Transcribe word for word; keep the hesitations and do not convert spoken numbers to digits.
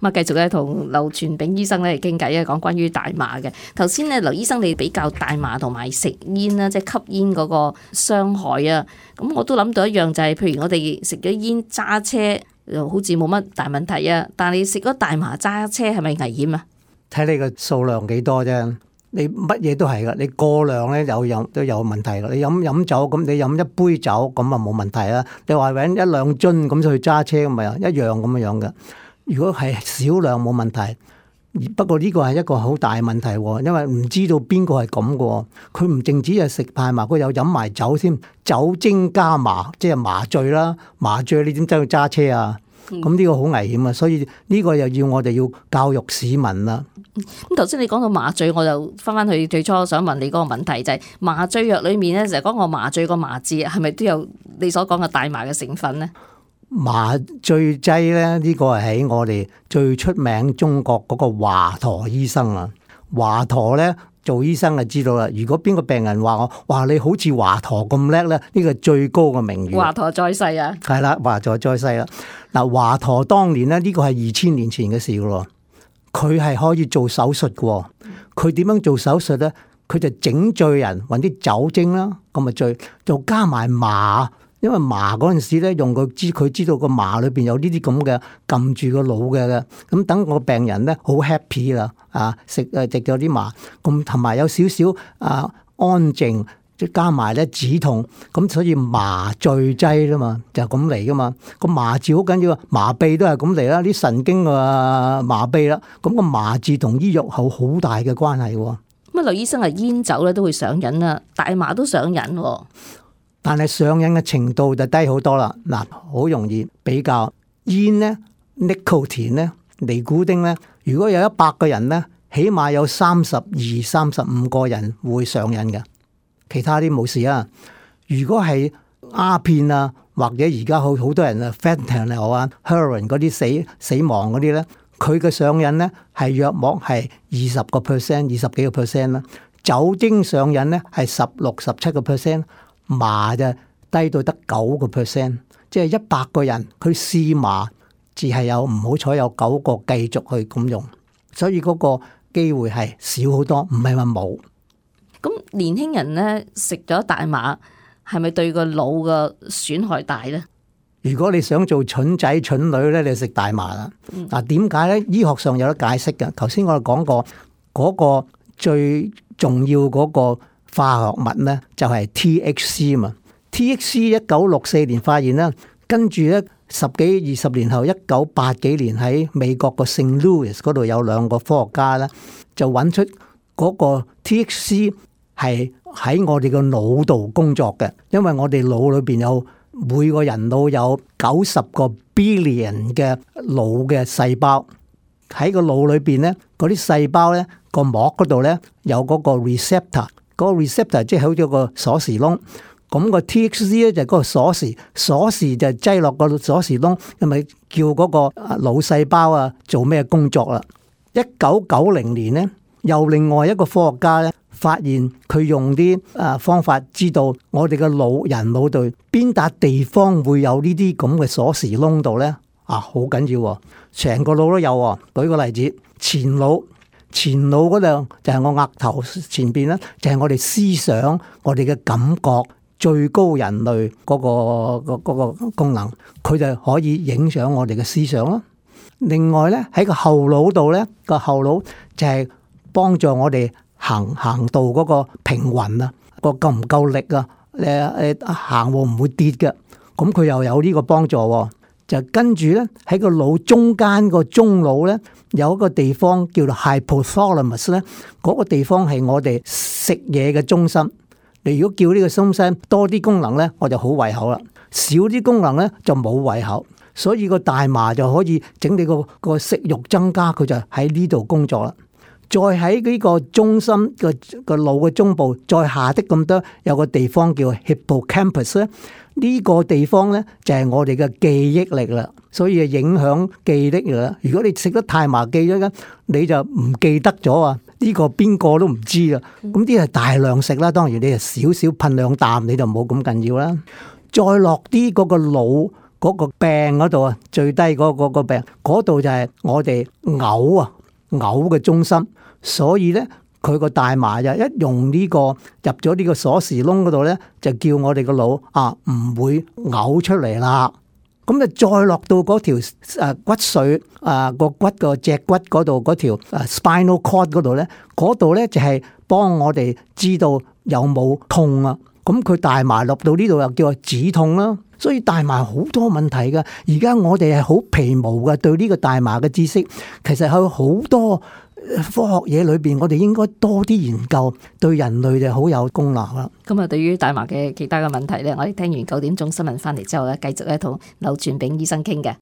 咁啊，繼續咧同劉傳炳醫生咧嚟傾偈啊，講關於大麻嘅。頭先咧，劉醫生你比較大麻同埋食煙啦，即係吸煙嗰個傷害啊。咁我都諗到一樣就係，譬如我哋食咗煙揸車，又好似冇乜大問題啊。但係你食咗大麻揸車係咪危險啊？睇你個數量幾多啫。你乜嘢都係噶，你過量咧有有都有問題噶。你飲飲酒咁，你飲一杯酒咁啊冇問題啦。你話搵一兩樽咁去揸車咁咪一樣咁樣樣嘅。如果係少量冇問題，不過呢個係一個好大問題，因為唔知道邊個係咁嘅。佢唔淨止係食大麻，佢有飲埋酒先，酒精加麻，即係麻醉啦。麻醉你點走去揸車啊？咁呢個好危險啊！所以呢個又要我哋要教育市民啦。咁頭先你講到麻醉，我就翻翻去最初想問你嗰個問題，就係麻醉藥裏面咧，就係講個麻醉個麻字，係咪都有你所講嘅大麻嘅成分咧？麻醉劑咧，呢個係喺我哋最出名中國嗰個華佗醫生啊。華佗咧做醫生就知道啦。如果邊個病人話我，哇你好似華佗咁叻咧，呢個最高嘅名譽。華佗在世啊，係啦，華佗在世啦。嗱，華佗當年咧，呢個係二千年前嘅事噶咯。佢係可以做手術嘅。佢點樣做手術咧？佢就整醉人，揾啲酒精啦，咁啊醉，就加埋麻。因為麻嗰陣時咧，用佢知佢知道個麻裏邊有呢啲咁嘅撳住個腦嘅，咁等個病人咧好 happy 啦，啊食誒食咗啲麻，咁同埋有少少啊安靜，即加埋咧止痛，咁所以麻醉劑啦嘛，就咁嚟噶嘛。個麻字好緊要，麻痹都係咁嚟啦，啲神經啊麻痹啦，咁個麻字同醫藥有好大嘅關係。咁啊，劉醫生啊，煙酒咧都會上癮啊，大麻都上癮。但係上癮嘅程度就低好多啦。嗱，好容易比較煙咧 ，nicotine 咧，尼古丁咧。如果有一百個人咧，起碼有三十二、三十五個人會上癮嘅，其他啲冇事啊。如果係鴉片啊，或者而家好好多人啊 fentanyl 啊、heroin 嗰啲死死亡嗰啲咧，佢嘅上癮咧係約莫係二十個 percent、二十幾個 percent 啦。酒精上癮咧係十六、十七個 percent。麻就低到得九個 percent，即係一百個人佢試麻，只係有唔好彩有九個繼續去咁用，所以嗰個機會係少好多，唔係話冇。咁年輕人咧食咗大麻，係咪對個腦嘅損害大咧？如果你想做蠢仔蠢女咧，你食大麻啦。嗱、嗯，點解咧？醫學上有得解釋嘅。頭先我哋講過嗰、嗰個最重要嗰、嗰個。化學物咧就係 T H C 嘛 ，T H C 一九六四年發現啦，跟住咧十幾二十年後，一九八幾年喺美國個聖 Louis 嗰度有兩個科學家咧，就揾出嗰個 T H C 係喺我哋個腦度工作嘅，因為我哋腦裏邊有每個人腦有九十個 billion 嘅腦嘅細胞，喺個腦裏邊咧，嗰啲細胞咧個膜嗰度咧有嗰個 receptor。嗰個 receptor 即係好似個鎖匙窿，咁個 T H C 咧就係嗰個鎖匙，鎖匙就擠落個鎖匙窿，係咪叫嗰個腦細胞啊做咩工作啦？一九九零年咧，又另外一個科學家咧發現佢用啲誒方法知道我哋嘅腦人腦度邊笪地方會有呢啲咁嘅鎖匙窿度咧？啊，好緊要喎，成個腦都有喎。舉個例子，前腦。前腦嗰度就係我額頭前邊啦，就係我哋思想、我哋嘅感覺最高人類嗰個嗰個功能，佢就可以影響我哋嘅思想咯。另外咧喺個後腦度咧，個後腦就係幫助我哋行行道嗰個平衡啊，個夠唔夠力啊？誒誒行路唔會跌嘅，咁佢又有呢個幫助喎。就跟住咧喺個腦中間個中腦咧有一個地方叫做 hypothalamus 咧，嗰個地方係我哋食嘢嘅中心。你如果叫呢個中心多啲功能咧，我就好胃口啦；少啲功能咧就冇胃口。所以個大麻就可以整你個個食慾增加，佢就喺呢度工作啦。再喺呢個中心個個腦嘅中部再下啲咁多有個地方叫 hippocampus 咧。呢個地方咧就係我哋嘅記憶力啦，所以影響記憶力啦。如果你食得太麻記咗咧，你就唔記得咗啊！呢個邊個都唔知啊。咁啲係大量食啦，當然你係少少噴兩啖你就冇咁緊要啦。再落啲嗰個腦嗰個病嗰度啊，最低嗰個個病嗰度就係我哋嘔啊嘔嘅中心，所以咧佢個大麻就一用呢個入咗呢個鎖匙窿嗰度咧，就叫我哋個腦啊唔會嘔出嚟啦。咁就再落到嗰條誒骨髓啊個骨個脊骨嗰度嗰條誒 spinal cord 嗰度咧，嗰度咧就係幫我哋知道有冇痛啊。咁佢大麻落到呢度又叫做止痛啦。所以大麻好多問題㗎。而家我哋係好皮毛㗎，對呢個大麻嘅知識，其實有好多科學嘢裏邊，我哋應該多啲研究，對人類就好有功能啦。咁啊，對於大麻嘅其他嘅問題咧，我哋聽完九點鐘新聞翻嚟之後咧，繼續咧同劉傳炳醫生傾嘅。